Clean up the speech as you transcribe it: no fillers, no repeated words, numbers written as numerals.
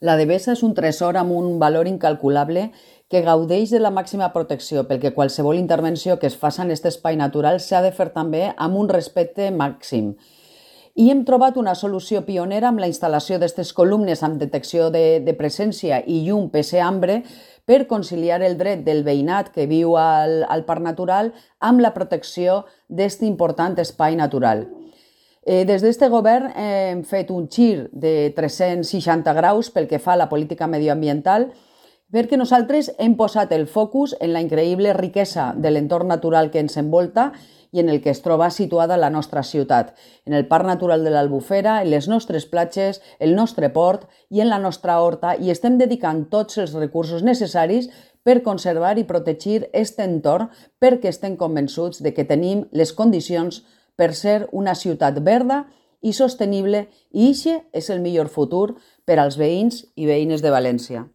La Devesa és un tresor amb un valor incalculable que gaudeix de la màxima protecció, pel que qualsevol intervenció que es faci en aquest espai natural s'ha de fer també amb un respecte màxim. I hem trobat una solució pionera amb la instal·lació d'aquestes columnes amb detecció de presència i llum PC ambre per conciliar el dret del veïnat que viu al parc natural amb la protecció d'aquest important espai natural. Des d'aquest govern hem fet un gir de 360 graus pel que fa a la política medioambiental, perquè nosaltres hem posat el focus en la increïble riquesa de l'entorn natural que ens envolta i en el que es troba situada la nostra ciutat, en el Parc Natural de l'Albufera, en les nostres platges, el nostre port i en la nostra horta, i estem dedicant tots els recursos necessaris per conservar i protegir aquest entorn perquè estem convençuts de que tenim les condicions per ser una ciutat verda i sostenible, i aquest és el millor futur per als veïns i veïnes de València.